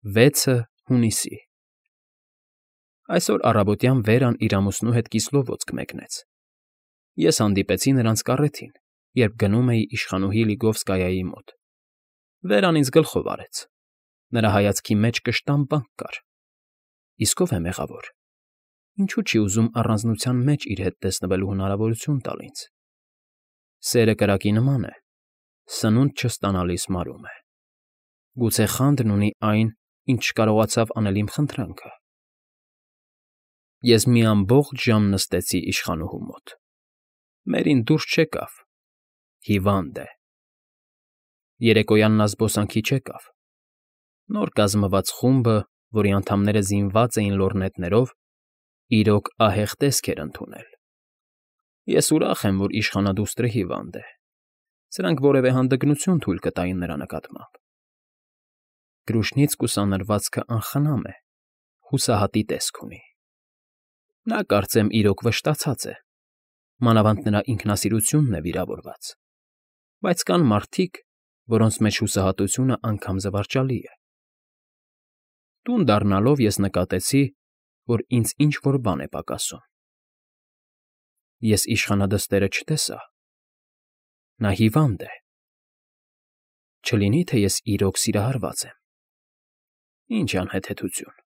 6 հունիսի Այսօր առավոտյան Վերան իր ամուսնու հետ Կիսլովոձք մեկնեց։ Ես հանդիպեցի նրանց կառեթին, երբ գնում էի իշխանուհի Լիգովսկայայի մոտ։ Վերան ինձ գլխով արեց։ Նրա հայացքի մեջ կշտամբանք կար։ Իսկ ով է մեղավոր։ Ինչու չի ուզում առանձնության մեջ իր հետ տեսնվելու հնարավորություն տալ ինձ։ Սերը կրակի նման է, սնունդ չստանալիս մարում է։ Գուցե խանդն ունի այն, ինչ չկարողացավ անել իմ խնդրանքը։ Ես մի ամբողջ ժամ նստեցի իշխանուհու մոտ։ Մերին դուրս չեկավ, հիվանդ է։ Երեկոյան նա զբոսանքի չեկավ։ Նոր կազմված խումբը, որի անդամները զինված էին լոռնետներով, իրոք ահեղ տեսք էր ընդունել։ Ես ուրախ եմ, որ իշխանադուստրը հիվանդ է։ Սրանք որևէ հանդգնություն թույլ կտային նրա նկատմամբ։ Կրուշնից կուսանրվածքը անխնամ է, հուսահատի տեսք ունի։ Նա, կարծեմ, իրոք վշտացած է, մանավանդ նրա ինքնասիրությունն է վիրավորված, բայց կան մարդիկ, որոնց մեջ հուսահատությունը անգամ զվարճալի է։ Տուն դառնալով ես նկատեցի, որ ինձ ինչ֊որ բան է պակասում։ Ես իշխանադստերը չտեսա։ Նա հիվանդ է։ Չլինի՞ թե ես իրոք սիրահարված եմ։ Ինչ անհեթեթություն։